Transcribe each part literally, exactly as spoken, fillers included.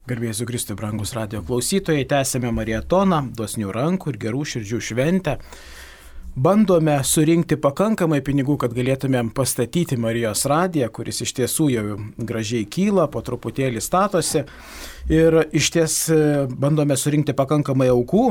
Garbėjai Jėzui Kristui, brangus radijo klausytojai, tęsėme marietoną, dosnių rankų ir gerų širdžių šventę. Bandome surinkti pakankamai pinigų, kad galėtumėm pastatyti Marijos radiją, kuris iš tiesų jau gražiai kyla, po truputėlį statosi. Ir iš ties bandome surinkti pakankamai aukų.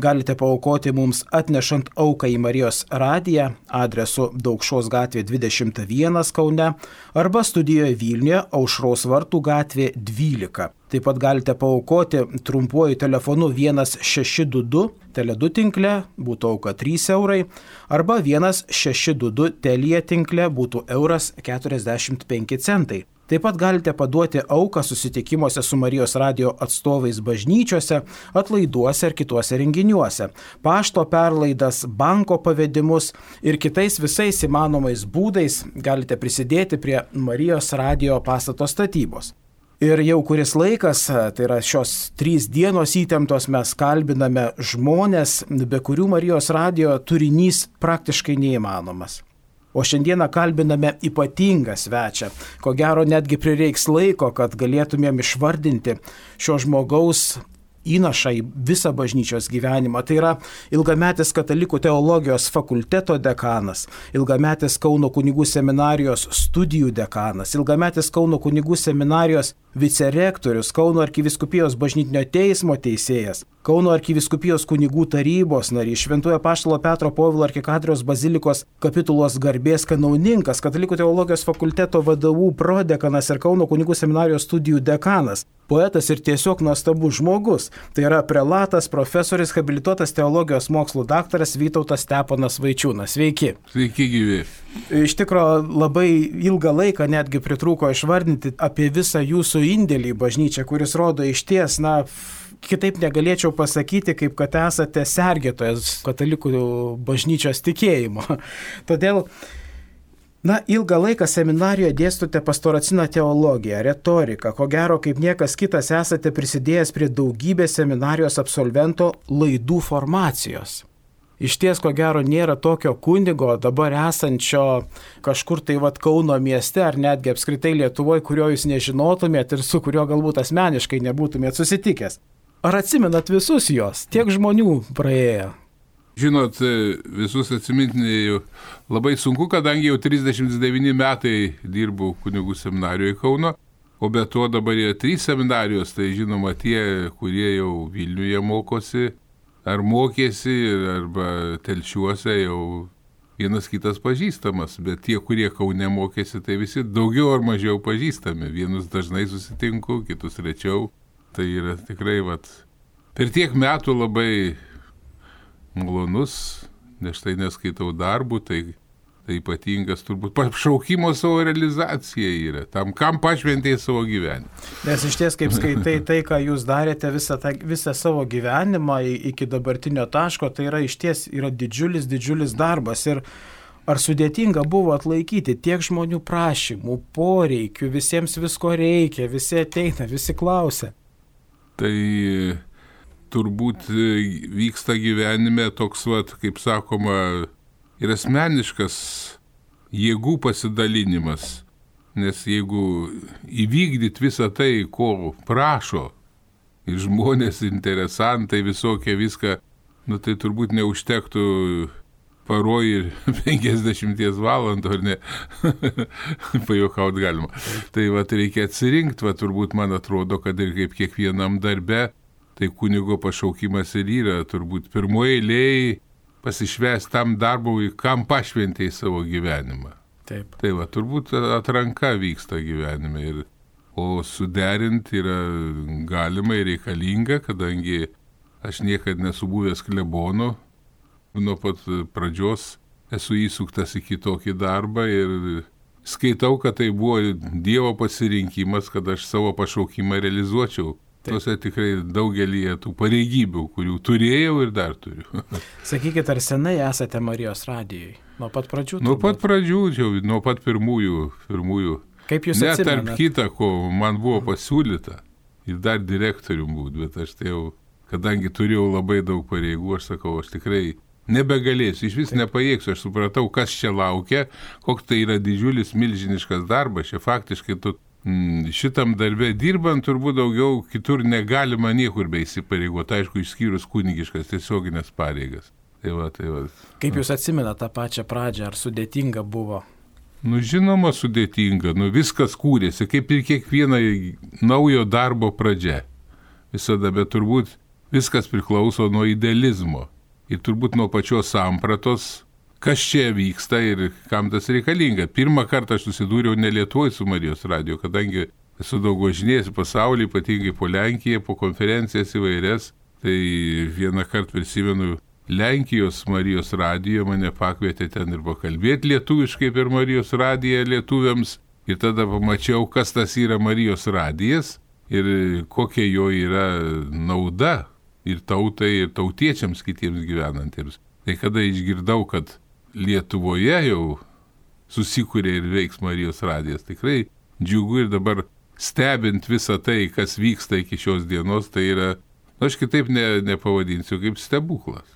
Galite paaukoti mums atnešant auką į Marijos radiją adresu Daukšos gatvė dvidešimt vienas Kaune arba studijoje Vilniuje Aušros vartų gatvė dvylika. Taip pat galite paaukoti trumpuoju telefonu vienas šeši du du, Tele du tinkle, būtų auka trys eurai, arba vienas šeši du du Telia tinkle, būtų euras keturiasdešimt penki centai. Taip pat galite paduoti auką susitikimuose su Marijos radijo atstovais bažnyčiose, atlaiduose ir kituose renginiuose, pašto perlaidas, banko pavedimus ir kitais visais įmanomais būdais galite prisidėti prie Marijos radijo pastato statybos. Ir jau kuris laikas, tai yra šios trys dienos įtemptos, mes kalbiname žmonės, be kurių Marijos radijo turinys praktiškai neįmanomas. O šiandieną kalbiname ypatingą svečią. Ko gero netgi prireiks laiko, kad galėtumėm išvardinti šio žmogaus įnašą į visą bažnyčios gyvenimą. Tai yra ilgametis katalikų teologijos fakulteto dekanas, ilgametis Kauno kunigų seminarijos studijų dekanas, ilgametis Kauno kunigų seminarijos vicerektorius, Kauno arkivyskupijos bažnytinio teismo teisėjas, Kauno arkivyskupijos kunigų tarybos narys, Šventojo Apaštalo Petro Povilo arkikatedros bazilikos kapitulos garbės kanauninkas, katalikų teologijos fakulteto vadovų prodekanas ir Kauno kunigų seminarijos studijų dekanas. Poetas ir tiesiog nuostabus žmogus. Tai yra prelatas, profesorius, habilituotas teologijos mokslų daktaras Vytautas Steponas Vaičiūnas. Sveiki. Sveiki gyvi. Iš tikrųjų labai ilgą laiką netgi pritrūko išvardinti apie visą jūsų indėlį į bažnyčią, kuris rodo išties, na, kitaip negalėčiau pasakyti, kaip kad esate sergėtojas katalikų bažnyčios tikėjimo. Todėl Na, ilgą laiką seminarijoje dėstote pastoracinę teologiją, retoriką. Ko gero, kaip niekas kitas esate prisidėjęs prie daugybės seminarijos absolvento laidų formacijos. Iš ties, ko gero, nėra tokio kunigo dabar esančio kažkur tai vat Kauno mieste ar netgi apskritai Lietuvoje, kurio jūs nežinotumėt ir su kurio galbūt asmeniškai nebūtumėt susitikęs. Ar atsimenat visus jos? Tiek žmonių praėjo. Žinot, visus atsiminti labai sunku, kadangi jau trisdešimt devyni metai dirbau kunigų seminarijoje Kauno, o be to dabar yra trys seminarijos, tai žinoma tie, kurie jau Vilniuje mokosi, ar mokėsi, arba Telšiuose jau vienas kitas pažįstamas, bet tie, kurie Kaune mokėsi, tai visi daugiau ar mažiau pažįstami. Vienus dažnai susitinku, kitus rečiau. Tai yra tikrai, vat, per tiek metų labai malonus, nes tai neskaitau darbų, tai, tai ypatingas turbūt pašaukimo savo realizacija yra, tam, kam pašventėjai savo gyvenimą. Nes iš ties, kaip skaitai tai, ką jūs darėte visą, tą, visą savo gyvenimą iki dabartinio taško, tai yra iš ties yra didžiulis, didžiulis darbas. Ir ar sudėtinga buvo atlaikyti tiek žmonių prašymų, poreikių, visiems visko reikia, visi ateina, visi klausia. Tai turbūt vyksta gyvenime toks, vat, kaip sakoma, ir asmeniškas jėgų pasidalinimas. Nes jeigu įvykdyt visą tai, ko prašo, ir žmonės, interesantai, visokie viską, nu tai turbūt neužtektų paroj ir penkiasdešimties valandų, ar ne? Pajuokaut galima. Tai vat reikia atsirinkti, vat turbūt man atrodo, kad ir kaip kiekvienam darbe, tai kunigo pašaukimas ir yra turbūt pirmoje eilėje pasišvęsti tam darbui, kam pašventėjai savo gyvenimą. Taip. Tai va, turbūt atranka vyksta gyvenime, ir, o suderinti yra galima ir reikalinga, kadangi aš niekad nesu buvęs klebonu, nuo pat pradžios esu įsuktas į kitokį darbą ir skaitau, kad tai buvo Dievo pasirinkimas, kad aš savo pašaukimą realizuočiau. Tuose tikrai daugelį tų pareigybių, kurių turėjau ir dar turiu. Sakykit, ar senai esate Marijos radijoj? Nuo pat pradžių? Nuo pat pradžių, jau, nuo pat pirmųjų. pirmųjų. Kaip jūs atsimenat? atsimenat? Net tarp kita, ko man buvo pasiūlyta ir dar direktorium būt, bet aš tai jau, kadangi turėjau labai daug pareigų, aš sakau, aš tikrai nebegalėsiu, iš vis nepajėgsiu, aš supratau, kas čia laukia, koks tai yra didžiulis, milžiniškas darbas, čia faktiškai tu šitam darbė dirbant turbūt daugiau kitur negalima niekur be įsipareigoti, aišku, išskyrus kunigiškas tiesioginės pareigas. Tai va, tai va. Kaip jūs atsimenate tą pačią pradžią, ar sudėtinga buvo? Nu, žinoma, sudėtinga, nu, viskas kūrėsi, kaip ir kiekviena naujo darbo pradžia. Visada, bet turbūt viskas priklauso nuo idealizmo ir turbūt nuo pačios sampratos, kas čia vyksta ir kam tas reikalinga. Pirmą kartą aš susidūriau ne Lietuvoje su Marijos radiju, kadangi esu daug važinėjęs pasaulį, ypatingai po Lenkiją, po konferencijas įvairias, tai vieną kartą prisimenu, Lenkijos Marijos radijo mane pakvietė ten ir pakalbėti lietuviškai per Marijos radiją lietuviams ir tada pamačiau, kas tas yra Marijos radijas ir kokia jo yra nauda ir tautai, ir tautiečiams kitiems gyvenantiems. Tai kada išgirdau, kad Lietuvoje jau susikūrė ir veiks Marijos radijas, tikrai džiugu ir dabar stebint visą tai, kas vyksta iki šios dienos, tai yra, aš kitaip ne, nepavadinsiu kaip stebuklas.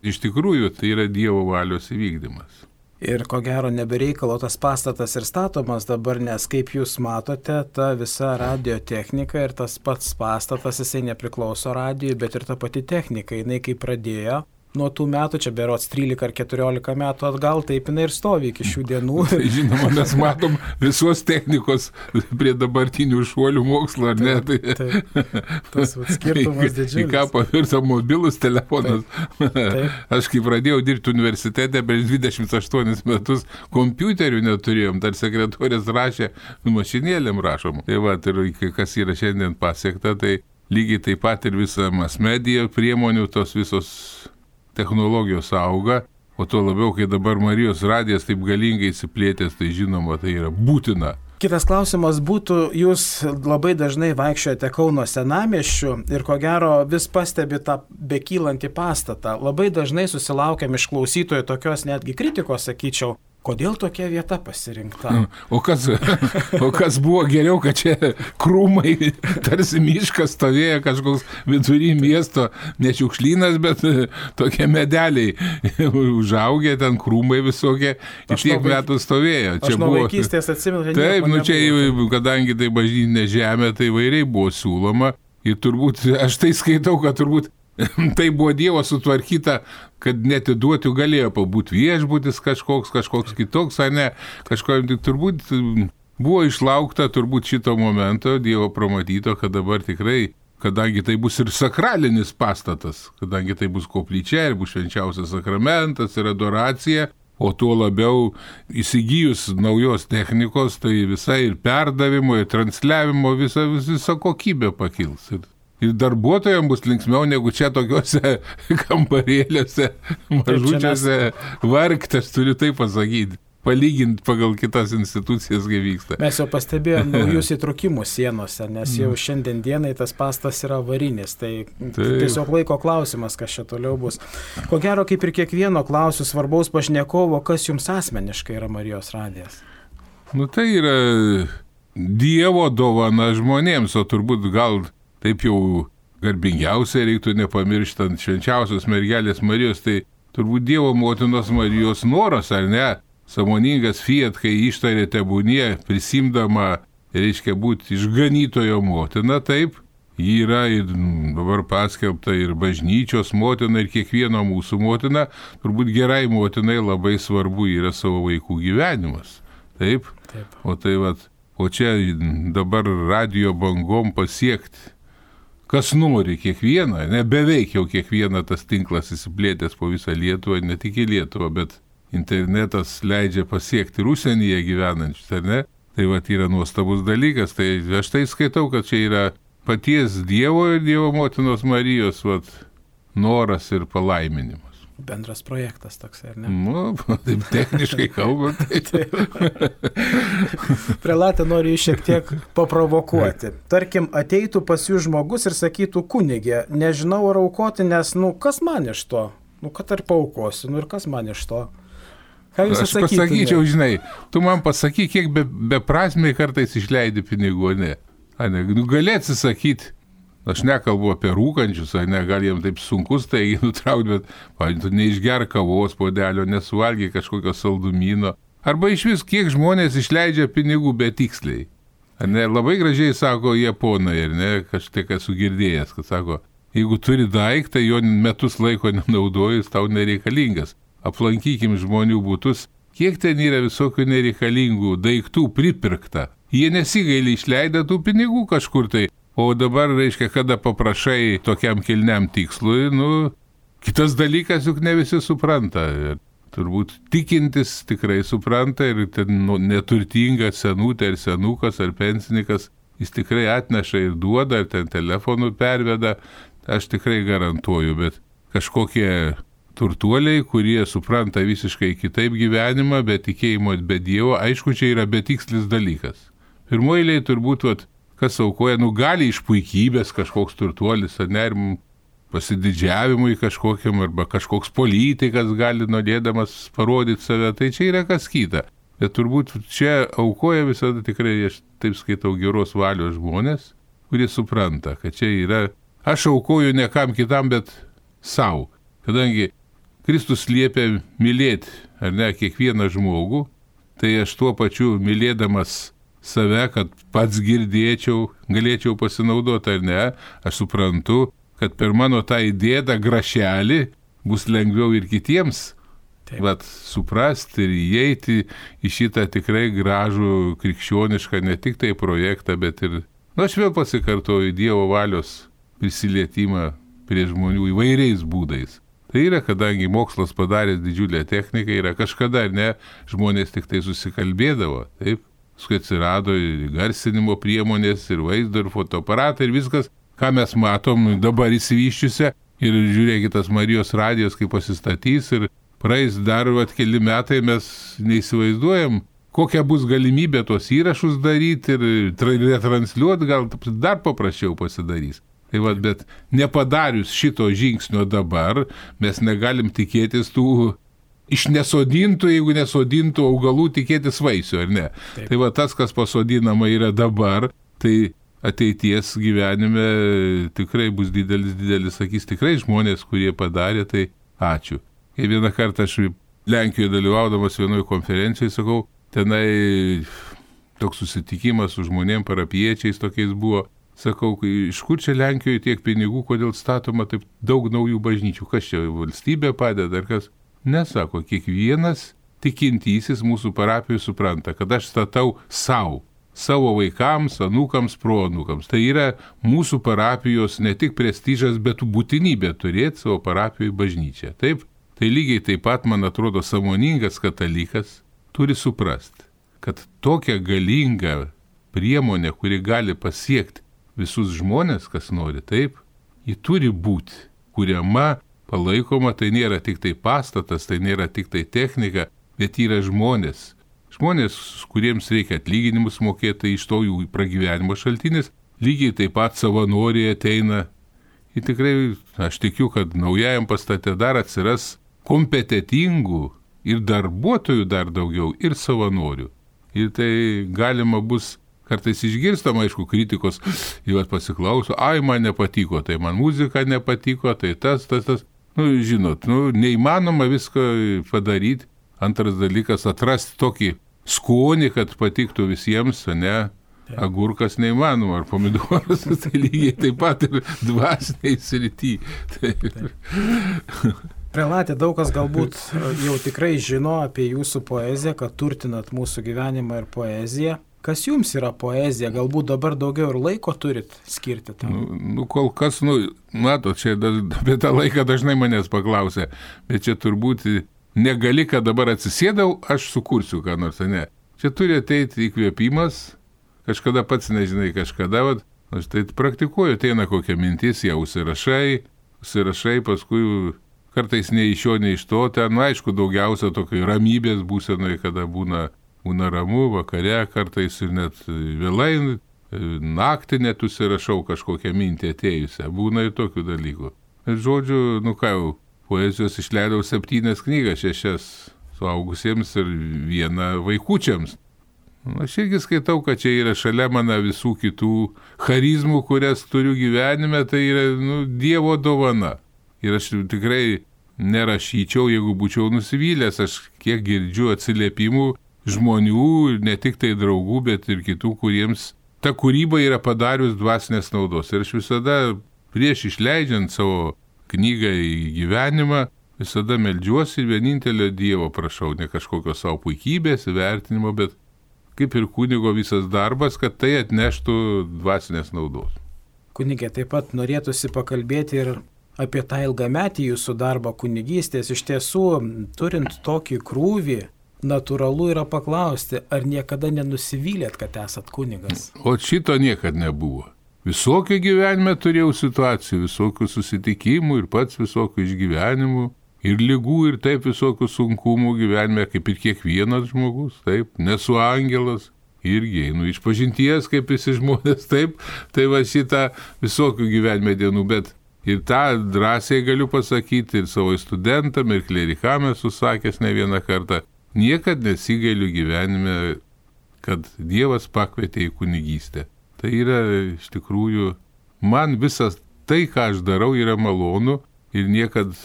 Iš tikrųjų, tai yra Dievo valios įvykdymas. Ir ko gero nebereikalo tas pastatas ir statomas dabar, nes kaip jūs matote, ta visa radio technika ir tas pats pastatas, jisai nepriklauso radijui, bet ir ta pati technika, jinai kaip pradėjo. Nuo tų metų, čia berods trylika ar keturiolika metų atgal, taip jinai ir stovi iki šių dienų. Tai žinoma, mes matom visos technikos prie dabartinių šuolių mokslo, ar ne? Taip, taip. Tas skirtumas didžiulis. Į ką pavirto mobilus telefonas. Taip, taip. Aš kai pradėjau dirbti universitete, prieš dvidešimt aštuonis metus kompiuterių neturėjom, dar sekretorės rašė, mašinėlėm rašom. Tai va, ir kas yra šiandien pasiekta, tai lygiai taip pat ir visa mass media priemonių, tos visos technologijos auga, o tuo labiau, kai dabar Marijos radijas taip galingai įsiplėtęs, tai žinoma, tai yra būtina. Kitas klausimas būtų, jūs labai dažnai vaikščiojate Kauno senamiesčiu ir ko gero vis pastebi tą bekylantį pastatą. Labai dažnai susilaukiam iš klausytojų tokios netgi kritikos, sakyčiau, kodėl tokia vieta pasirinkta? O kas, o kas buvo geriau, kad čia krūmai, tarsi miškas stovėjo kažkoks vidury miesto, ne šiukšlynas, bet tokie medeliai užaugę, ten krūmai visokie, ir tiek nuo metų stovėjo. Aš nuo buvo... vaikystės atsimenu, kad taip, nu čia, kadangi tai bažnytinė žemė, tai vairiai buvo siūloma ir turbūt, aš tai skaitau, kad turbūt tai buvo Dievo sutvarkyta, kad netiduotų galėjo pabūti viešbutis kažkoks, kažkoks kitoks, ar ne, kažko, turbūt buvo išlaukta turbūt šito momento Dievo pramatyto, kad dabar tikrai, kadangi tai bus ir sakralinis pastatas, kadangi tai bus koplyčia ir bus švenčiausias sakramentas ir adoracija, o tuo labiau įsigijus naujos technikos, tai visai ir perdavimo, ir transliavimo visa, visa kokybė pakils. Ir Ir darbuotojams bus linksmiau negu čia tokiuose kambarėliuose, mažučiuose vargtės, turiu tai pasakyti, palyginti pagal kitas institucijas, kai vyksta. Mes jau pastebėjome naujus įtrukimus sienose, nes jau šiandien dienai tas pastas yra avarinis, tai Taip. tiesiog laiko klausimas, kas čia toliau bus. Ko gero, kaip ir kiekvieno klausiu svarbaus pašnekovo, kas jums asmeniškai yra Marijos radijas? Nu tai yra Dievo dovana žmonėms, o turbūt gal taip jau garbingiausiai reiktų nepamirštant švenčiausios mergelės Marijos, tai turbūt Dievo motinos Marijos noras, ar ne, sąmoningas fiat, kai ištarė tebūnie, prisimdama, reiškia būti išganytojo motina, taip, ji yra ir dabar paskelbta ir bažnyčios motina, ir kiekvieno mūsų motina, turbūt gerai motinai labai svarbu yra savo vaikų gyvenimas, taip, taip. O tai vat, o čia dabar radijo bangom pasiekti, kas nori kiekvieną, ne beveik jau kiekvieną tas tinklas įsiplėtęs po visą Lietuvą, ne tik į Lietuvą, bet internetas leidžia pasiekti ir užsienyje gyvenančius, ar ne? Tai va, yra nuostabus dalykas, tai aš tai skaitau, kad čia yra paties Dievo ir Dievo motinos Marijos vat, noras ir palaiminimas. Bendras projektas toks, ar ne? Nu, taip techniškai kalbant. Prelatė noriu šiek tiek paprovokuoti. Tarkim, ateitų pas jų žmogus ir sakytų, kunigė, nežinau ar aukoti, nes, nu, kas man iš to? Nu, kad ar paukosiu, nu ir kas man iš to? Ką jūs Aš pasakyčiau, žinai, tu man pasakyk, kiek be, beprasmiai kartais išleidi pinigų, ne? A, ne, nu, gali atsisakyti. Aš nekalbu apie rūkančius, ar ne, gal jiems taip sunkus tai nutraukti, bet, pavyzdžiui, tu neišger kavos puodelio, nesuvalgy kažkokio saldumyno. Arba iš vis, kiek žmonės išleidžia pinigų betiksliai. Ne, labai gražiai sako japonai, ir ne, kažtai esu girdėjęs, kad sako, jeigu turi daiktą, jo metus laiko nenaudoji, jis tau nereikalingas. Aplankykim žmonių būtus, kiek ten yra visokių nereikalingų daiktų pripirkta. Jie nesigaili išleidę tų pinigų kažkur tai, o dabar, reiškia, kada paprašai tokiam kilniam tikslui, nu, kitas dalykas juk ne visi supranta. Ir turbūt tikintis tikrai supranta ir ten nu, neturtingas senutė ar senukas ar pensininkas, jis tikrai atneša ir duoda, ar ten telefonu perveda, aš tikrai garantuoju, bet kažkokie turtuoliai, kurie supranta visiškai kitaip gyvenimą, be tikėjimo, be Dievo, aišku, čia yra betikslis dalykas. Pirmoji eilėje turbūt, vat, kas aukoja, nu gali iš puikybės kažkoks turtuolis, ar ne, pasididžiavimui kažkokiam, arba kažkoks politikas gali norėdamas parodyti save, tai čia yra kas kita. Bet turbūt čia aukoja visada tikrai, aš taip skaitau, geros valios žmonės, kurie supranta, kad čia yra, aš aukoju ne kam kitam, bet savo. Kadangi Kristus liepia mylėti, ar ne, kiekvieną žmogų, tai aš tuo pačiu mylėdamas save, kad pats girdėčiau, galėčiau pasinaudoti ar ne, aš suprantu, kad per mano tą įdėtą grašelį bus lengviau ir kitiems vat, suprasti ir įeiti į šitą tikrai gražų krikščionišką ne tik tai projektą, bet ir, nu aš vėl pasikartoju, Dievo valios prisilietimą prie žmonių įvairiais būdais. Tai yra, kadangi mokslas padaręs didžiulę techniką, yra kažkada, ar ne, žmonės tik tai susikalbėdavo, taip? Paskui atsirado ir garsinimo priemonės, ir vaizdo, ir fotoaparatai, ir viskas, ką mes matom dabar įsivyščiusią. Ir žiūrėkit, tas Marijos radijas, kaip pasistatys, ir praeis dar vat, keli metai, mes neįsivaizduojam, kokia bus galimybė tuos įrašus daryti ir retransliuoti, gal dar paprasčiau pasidarys. Tai vat, bet nepadarius šito žingsnio dabar, mes negalim tikėtis tų iš nesodintų, jeigu nesodintų augalų, tikėtis vaisių, ar ne? Taip. Tai va tas, kas pasodinama yra dabar, tai ateities gyvenime tikrai bus didelis, didelis, sakys, tikrai žmonės, kurie padarė, tai ačiū. Kai vieną kartą aš Lenkijoje dalyvaudamas vienoje konferencijoje, sakau, tenai toks susitikimas su žmonėm, parapiečiais tokiais buvo. Sakau, iš kur čia Lenkijoje tiek pinigų, kodėl statoma taip daug naujų bažnyčių, kas čia valstybė padeda, ar kas? Nesako, kiekvienas tikintysis mūsų parapijų supranta, kad aš statau savo, savo vaikams, anūkams, proanūkams. Tai yra mūsų parapijos ne tik prestižas, bet būtinybė turėti savo parapijoje bažnyčią. Taip, tai lygiai taip pat, man atrodo, sąmoningas katalikas turi suprasti, kad tokia galinga priemonė, kuri gali pasiekti visus žmonės, kas nori, taip, ji turi būti kuriama, palaikoma, tai nėra tik tai pastatas, tai nėra tik tai technika, bet yra žmonės. Žmonės, kuriems reikia atlyginimus mokėti, iš to jų pragyvenimo šaltinis, lygiai taip pat savanoriai ateina. Ir tikrai aš tikiu, kad naujajam pastate dar atsiras kompetitingų ir darbuotojų dar daugiau, ir savanorių. Ir tai galima bus kartais išgirstama, aišku, kritikos, jau pasiklauso, ai, man nepatiko, tai man muzika nepatiko, tai tas, tas, tas. Nu, žinot, nu, neįmanoma viską padaryti. Antras dalykas, atrasti tokį skonį, kad patiktų visiems, ne? Agurkas neįmanoma, ar pomidoras, tai lygiai taip pat ir dvasiniai srity. Prelatė, daug kas galbūt jau tikrai žino apie jūsų poeziją, kad turtinat mūsų gyvenimą ir poeziją. Kas jums yra poezija? Galbūt dabar daugiau ir laiko turit skirti tam? Nu, nu kol kas, nu, mato, čia apie tą laiką dažnai manęs paklausė, bet čia turbūt negali, kad dabar atsisėdau, aš sukursiu ką nors, ne. Čia turi ateiti įkvėpimas, kažkada pats nežinai, kažkada, vat, aš tai praktikuoju, ateina kokia mintis, ją užsirašai, užsirašai, paskui kartais nei iš jo, nei iš to, ten, nu, aišku, daugiausia tokio ramybės būsenoje, kada būna Būna ramu, vakare, kartais ir net vėlai, naktį net užsirašau kažkokią mintį atėjusią. Būna ir tokių dalykų. Ir žodžiu, nu ką jau, poezijos išleidau septynias knygas, šešias suaugusiems ir vieną vaikučiams. Aš irgi skaitau, kad čia yra šalia mano visų kitų charizmų, kurias turiu gyvenime, tai yra nu, Dievo dovana. Ir aš tikrai nerašyčiau, jeigu būčiau nusivylęs, aš kiek girdžiu atsiliepimų žmonių, ne tik tai draugų, bet ir kitų, kuriems ta kūryba yra padarius dvasinės naudos. Ir aš visada prieš išleidžiant savo knygą į gyvenimą, visada meldžiuosi ir vienintelio Dievo prašau, ne kažkokio savo puikybės, vertinimo, bet kaip ir kunigo visas darbas, kad tai atneštų dvasinės naudos. Kunigė, taip pat norėtųsi pakalbėti ir apie tą ilgametį jūsų darbą kunigystės. Iš tiesų, turint tokį krūvį, natūralu yra paklausti, ar niekada nenusivylėt, kad esat kunigas? O šito niekad nebuvo. Visokių gyvenime turėjau situacijų, visokių susitikimų ir pats visokių išgyvenimų, ir lygų, ir taip visokių sunkumų gyvenime, kaip ir kiekvienas žmogus, taip, nesu angelas, irgi einu iš pažinties, kaip visi žmonės, taip, tai va šitą visokių gyvenime dienų, bet ir tą drąsiai galiu pasakyti ir savo studentam, ir klerikam esu sakęs ne vieną kartą, niekad nesigailiu gyvenime, kad Dievas pakvietė į kunigystę. Tai yra iš tikrųjų, man visas tai, ką aš darau, yra malonu ir niekad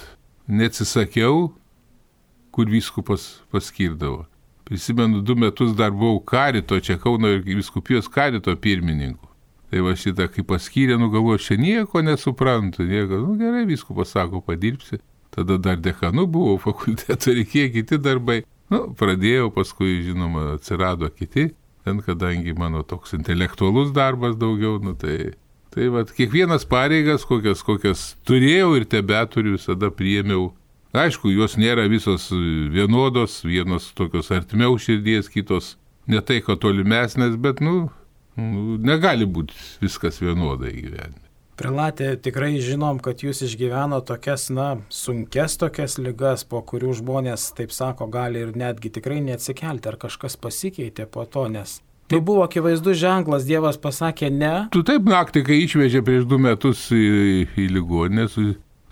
neatsisakiau, kur vyskupas paskirdavo. Prisimenu, du metus dar buvau karito, čia Kauno vyskupijos karito pirmininku. Tai va šitą, kai paskyrė, nu galvoju, aš nieko nesuprantu, nieko, nu gerai, vyskupas sako, padirbsi. Tada dar dekanu buvau, fakulteto reikėjo kiti darbai. Nu, pradėjau, paskui, žinoma, atsirado kiti, ten kadangi mano toks intelektualus darbas daugiau, nu tai... Tai va, kiekvienas pareigas, kokias, kokias turėjau ir tebeturiu, visada priėmiau. Aišku, jos nėra visos vienodos, vienos tokios artimiau širdies, kitos ne tai, ko tolimesnės, bet, nu, nu, negali būti viskas vienodai gyvenime. Prelatė, tikrai žinom, kad jūs išgyveno tokias, na, sunkes tokias ligas, po kurių žmonės, taip sako, gali ir netgi tikrai neatsikelti, ar kažkas pasikeitė po to, nes... Tai buvo akivaizdus ženklas, Dievas pasakė ne. Tu taip naktį, kai išvežė prieš du metus į, į ligoninę su,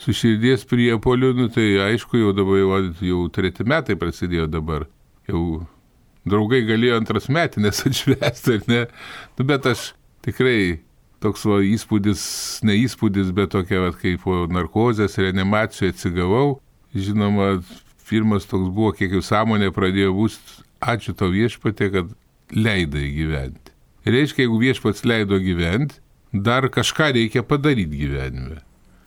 su širdies priepoliu, nu, tai aišku, jau dabar jau, jau treti metai prasidėjo dabar. Jau draugai galėjo antras metinės atšvęsti, ar ne? Nu, bet aš tikrai toks va, įspūdis, ne įspūdis, bet tokia, va, kaip po narkozės reanimacijoje atsigavau. Žinoma, pirmas toks buvo, kiek jau sąmonė pradėjo būti, ačiū tau viešpatie, kad leidai gyventi. Reiškia, jeigu viešpats leido gyventi, dar kažką reikia padaryti gyvenime.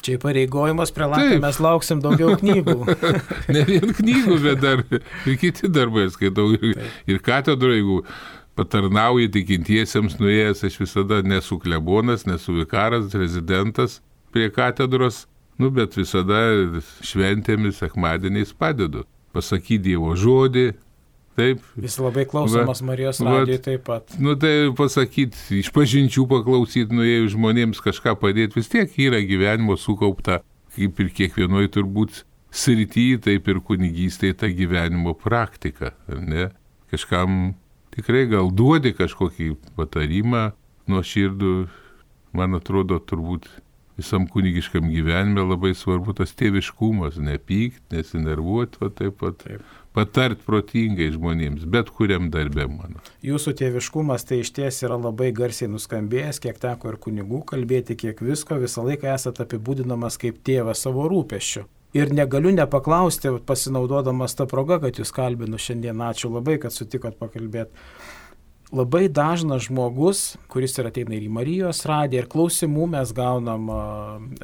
Čia pareigojimas prelatė, mes lauksim daugiau knygų. Ne vien knygų, bet dar ir kiti darbai skaitau. Ir, ir katedro, jeigu patarnauji tikintiesiems nuėjęs, aš visada nesu klebonas, nesu vikaras, rezidentas prie katedros, nu, bet visada šventėmis, sekmadieniais padedu. Pasakyti Dievo žodį. Taip. Vis labai klausomas Marijos radijoj taip pat. Nu tai pasakyti, iš pažinčių paklausyti, nuėjus žmonėms kažką padėti, vis tiek yra gyvenimo sukaupta, kaip ir kiekvienoj turbūt srityje, taip ir kunigystėje ta gyvenimo praktika, ar ne? Kažkam tikrai gal duodi kažkokį patarimą nuoširdų, man atrodo turbūt visam kunigiškam gyvenime labai svarbu tas tėviškumas, nepykt, nesinervuoti, va taip pat. Taip. Patart protingai žmonėms, bet kuriam darbė mano. Jūsų tėviškumas tai iš ties yra labai garsiai nuskambėjęs, kiek teko ir kunigų kalbėti, kiek visko, visą laiką esate apibūdinamas kaip tėvas savo rūpesčiu. Ir negaliu nepaklausti, pasinaudodamas tą progą, kad jūs kalbinu šiandien, ačiū labai, kad sutikot pakalbėti. Labai dažnas žmogus, kuris ir ateina ir į Marijos radiją, ir klausimų mes gaunam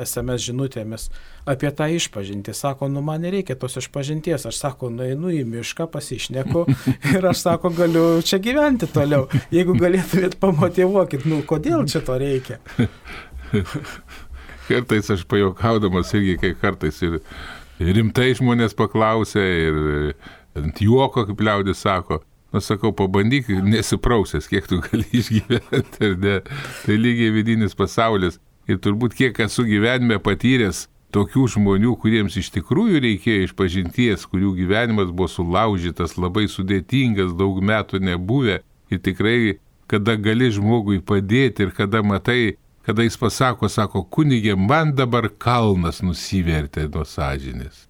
es em es žinutėmis apie tą išpažintį. Sako, nu man nereikia tos išpažinties. Aš sako, nueinu į mišką, pasišneku ir aš sako, galiu čia gyventi toliau. Jeigu galėtumėt pamotyvuokit, nu kodėl čia to reikia? Kartais aš pajokaudamas irgi, kai kartais ir rimtai žmonės paklausė ir ant juoko, kaip liaudis sako. Aš sakau, pabandyk, nesiprausęs, kiek tu gali išgyventi, ar ne? Tai lygiai vidinis pasaulis. Ir turbūt kiek esu gyvenime patyręs tokių žmonių, kuriems iš tikrųjų reikėjo išpažinties, kurių gyvenimas buvo sulaužytas, labai sudėtingas, daug metų nebuvę. Ir tikrai, kada gali žmogui padėti ir kada matai, kada jis pasako, sako, kunigė, man dabar kalnas nusivertė nuo sąžinės.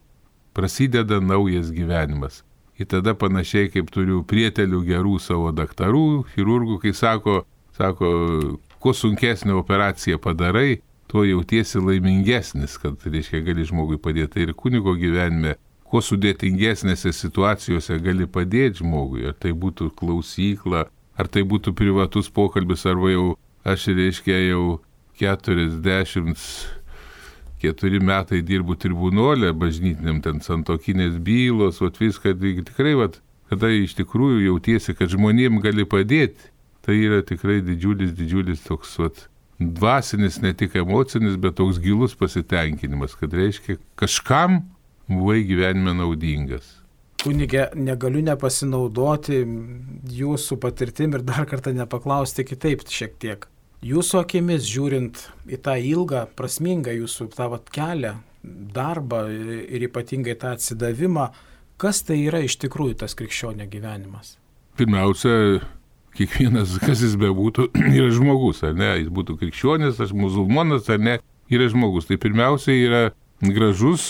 Prasideda naujas gyvenimas. Ir tada panašiai, kaip turiu prietelių gerų savo daktarų, chirurgų, kai sako, sako, kuo sunkesnė operacija padarai, tuo jautiesi laimingesnis, kad, reiškia, gali žmogui padėti. Ir kunigo gyvenime, kuo sudėtingesnėse situacijose gali padėti žmogui, ar tai būtų klausykla, ar tai būtų privatus pokalbis, arba jau aš, reiškia, jau keturiasdešimt keturi metai dirbu tribunolė, bažnytiniam ten santuokinės bylos, vat viską, tikrai, vat, kada iš tikrųjų jautiesi, kad žmonėm gali padėti, tai yra tikrai didžiulis, didžiulis toks, vat, dvasinis, ne tik emocinis, bet toks gilus pasitenkinimas, kad reiškia, kažkam buvai gyvenime naudingas. Kunige, negaliu nepasinaudoti jūsų patirtim ir dar kartą nepaklausti kitaip šiek tiek. Jūsų akimis žiūrint į tą ilgą, prasmingą jūsų tą vat kelią, darbą ir ypatingai tą atsidavimą, kas tai yra iš tikrųjų tas krikščionio gyvenimas? Pirmiausia, kiekvienas, kas jis bebūtų, yra žmogus, ar ne? Jis būtų krikščionis, aš musulmonas, ar ne, yra žmogus. Tai pirmiausia yra gražus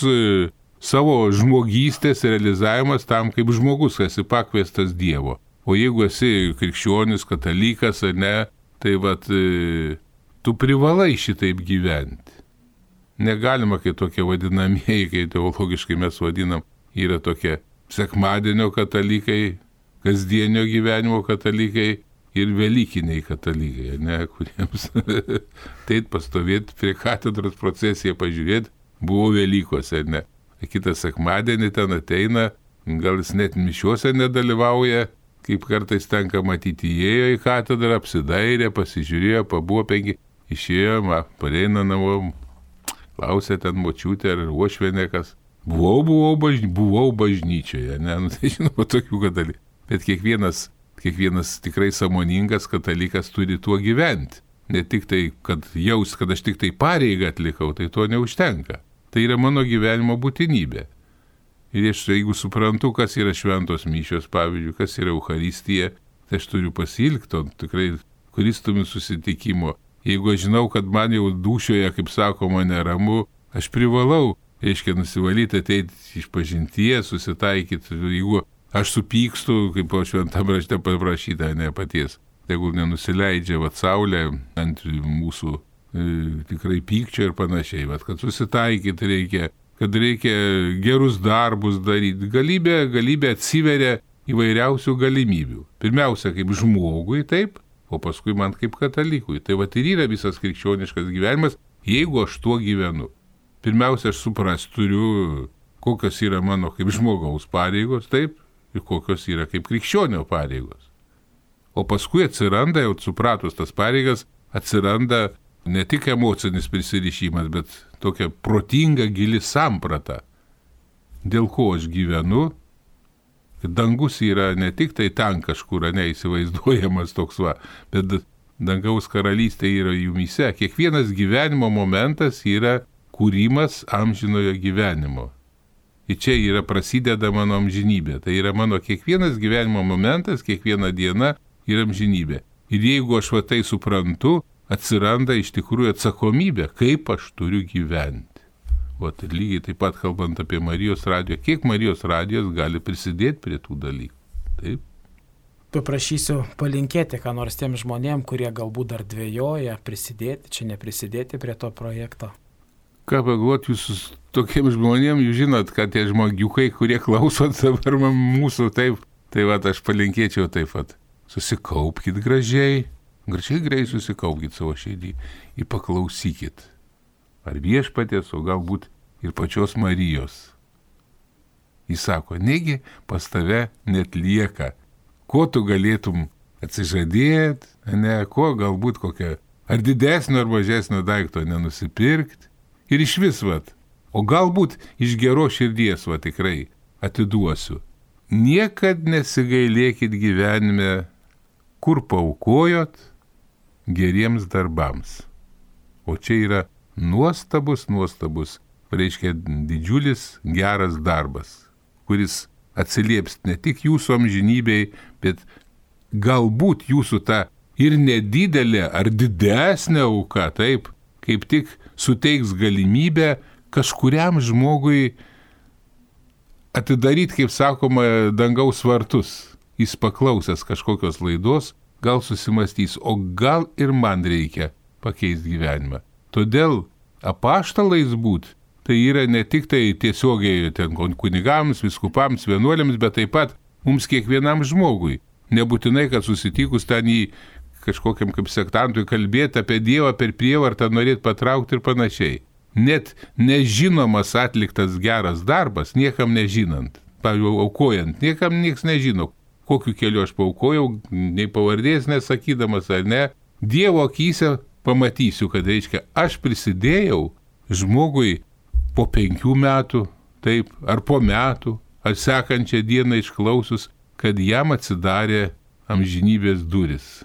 savo žmogystės realizavimas tam, kaip žmogus esi pakviestas Dievo. O jeigu esi krikščionis, katalikas, ar ne, tai vat, tu privalai šitaip gyventi. Negalima, kai tokie vadinamieji, kai teologiškai mes vadinam, yra tokie sekmadienio katalikai, kasdienio gyvenimo katalikai ir velykiniai katalikai, ne, kuriems taip pastovėti prie katedros procesiją pažiūrėti, buvo Velykose, ne. Kitas sekmadienį ten ateina, gal jis net mišiuose nedalyvauja, kaip kartais tenka matyti, įėjo į katedrą, apsidairė, pasižiūrėjo, pabuvo penki, išėjo, ma, pareina namo, klausė ten močiutė ar uošvienė kas. Buvau, buvau, bažny, buvau bažnyčioje, ne, nu, tai žinoma, tokių katalikų. Bet kiekvienas, kiekvienas tikrai sąmoningas katalikas turi tuo gyventi. Ne tik tai, kad jaus, kad aš tik tai pareigą atlikau, tai to neužtenka. Tai yra mano gyvenimo būtinybė. Ir aš, jeigu suprantu, kas yra šventos mišios, pavyzdžiui, kas yra Eucharistija, tai aš turiu pasilgti to tikrai Kristumi susitikimo. Jeigu aš žinau, kad man jau dūšioje, kaip sakoma, neramu, aš privalau, reiškia, nusivalyti, ateiti iš pažinties, susitaikyti. Jeigu aš supykstu, kaip po šventam rašte paprašyta, ne paties, tegul nenusileidžia vat saulė ant mūsų tikrai pykčio ir panašiai, bet kad susitaikyti reikia, kad reikia gerus darbus daryti, galybė, galybė atsiveria įvairiausių galimybių. Pirmiausia, kaip žmogui, taip, o paskui man kaip katalikui. Tai va ir yra visas krikščioniškas gyvenimas, jeigu aš tuo gyvenu. Pirmiausia, aš supras turiu, kokios yra mano kaip žmogaus pareigos, taip, ir kokios yra kaip krikščionio pareigos. O paskui atsiranda, jau supratus tas pareigas, atsiranda ne tik emocinis prisirišimas, bet tokia protinga gili samprata. Dėl ko aš gyvenu, kad dangus yra ne tik tai ten kažkur, neįsivaizduojamas toks va, bet dangaus karalystė yra jumyse. Kiekvienas gyvenimo momentas yra kūrimas amžinojo gyvenimo. Ir čia yra prasideda mano amžinybė. Tai yra mano kiekvienas gyvenimo momentas, kiekviena diena yra amžinybė. Ir jeigu aš va tai suprantu, atsiranda iš tikrųjų atsakomybė, kaip aš turiu gyventi. O tai lygiai taip pat kalbant apie Marijos radiją, kiek Marijos radijos gali prisidėti prie tų dalykų. Taip. Paprašysiu palinkėti, ką nors tiem žmonėm, kurie galbūt dar dvejoja, prisidėti, čia neprisidėti prie to projekto. Ką pagalvoti jūs tokiem žmonėm, jūs žinot, kad tie žmogiukai, kurie klausot dabar mūsų, taip, tai va, aš palinkėčiau taip pat. Susikaupkite gražiai. Gražiai greit susikaupkite savo širdį ir paklausykit. Ar viešpaties, o galbūt ir pačios Marijos. Jis sako, negi pas tave net lieka, ko tu galėtum atsižadėti, ne, ko galbūt kokią ar didesnio ar mažesnio daikto nenusipirkti. Ir iš vis, vat, o galbūt iš geros širdies, va tikrai atiduosiu. Niekad nesigailėkit gyvenime, kur paaukojot geriems darbams. O čia yra nuostabus, nuostabus, reiškia didžiulis geras darbas, kuris atsilieps ne tik jūsų amžinybei, bet galbūt jūsų ta ir nedidelė ar didesnė auka, taip, kaip tik suteiks galimybę kažkuriam žmogui atidaryti, kaip sakoma, dangaus vartus. Jis paklausęs kažkokios laidos, gal susimastys, o gal ir man reikia pakeisti gyvenimą. Todėl apaštalais būt, tai yra ne tik tai tiesiogiai ten kunigams, viskupams, vienuoliams, bet taip pat mums kiekvienam žmogui. Nebūtinai, kad susitikus ten į kažkokiam kaip sektantui kalbėti apie Dievą per prievartą, norėti patraukti ir panašiai. Net nežinomas atliktas geras darbas, niekam nežinant, pavyzdžiui, aukojant, niekam nieks nežino, kokiu keliu aš paaukojau, nei pavardės nesakydamas ar ne. Dievo akyse pamatysiu, kad reiškia, aš prisidėjau žmogui po penkių metų, taip, ar po metų, ar sekančią dieną išklausus, kad jam atsidarė amžinybės duris.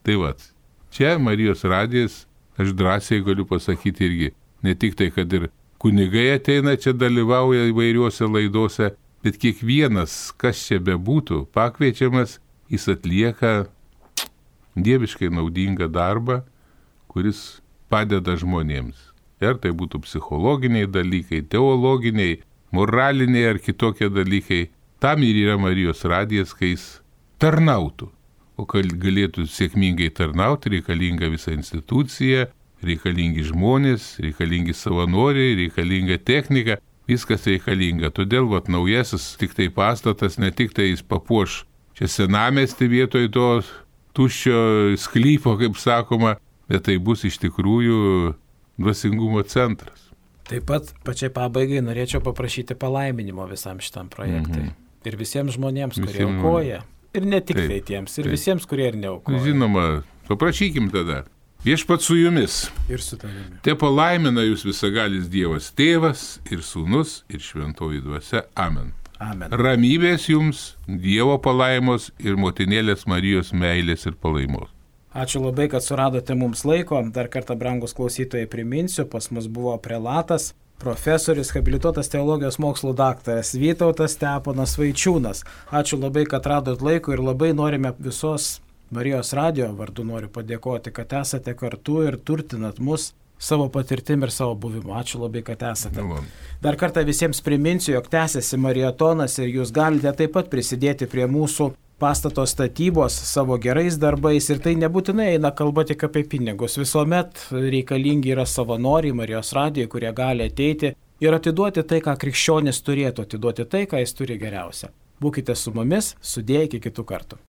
Tai vat, čia Marijos radijas, aš drąsiai galiu pasakyti irgi, ne tik tai, kad ir kunigai ateina čia dalyvauja įvairiuose laidose, bet kiekvienas, kas čia bebūtų, pakviečiamas, jis atlieka dieviškai naudingą darbą, kuris padeda žmonėms. Ir tai būtų psichologiniai dalykai, teologiniai, moraliniai ar kitokie dalykai. Tam ir yra Marijos radijas, kai jis tarnautų. O kad galėtų sėkmingai tarnauti, reikalinga visa institucija, reikalingi žmonės, reikalingi savanoriai, reikalinga technika, viskas reikalinga. Todėl vat, naujasis tik tai pastatas, ne tik tai jis papuoš čia senamiestį vietoj to tuščio sklypo, kaip sakoma, bet tai bus iš tikrųjų dvasingumo centras. Taip pat pačiai pabaigai norėčiau paprašyti palaiminimo visam šitam projektui. Mhm. Ir visiems žmonėms, kurie Visiem... aukoja. Ir ne tik taip, tai tiems, ir taip. visiems, kurie ir neaukoja. Žinoma, paprašykim tada. Viešpat su jumis. Ir su tavimi. Te palaimina jūs visagalis Dievas Tėvas ir Sūnus ir Šventoji Dvasia. Amen. Amen. Ramybės jums, Dievo palaimos ir motinėlės Marijos meilės ir palaimos. Ačiū labai, kad suradote mums laiko. Dar kartą, brangus klausytojai, priminsiu, pas mus buvo prelatas, profesorius, habilituotas teologijos mokslų daktaras Vytautas Steponas Vaičiūnas. Ačiū labai, kad radot laiko ir labai norime visos Marijos radijo vardu noriu padėkoti, kad esate kartu ir turtinat mus savo patirtim ir savo buvimu. Ačiū labai, kad esate. Dar kartą visiems priminsiu, jog tęsiasi maratonas ir jūs galite taip pat prisidėti prie mūsų pastato statybos savo gerais darbais ir tai nebūtinai eina kalba tik apie pinigus. Visuomet reikalingi yra savanoriai Marijos radijoje, kurie gali ateiti ir atiduoti tai, ką krikščionis turėtų atiduoti, tai, ką jis turi geriausia. Būkite su mumis, sudėję iki kitų kartų.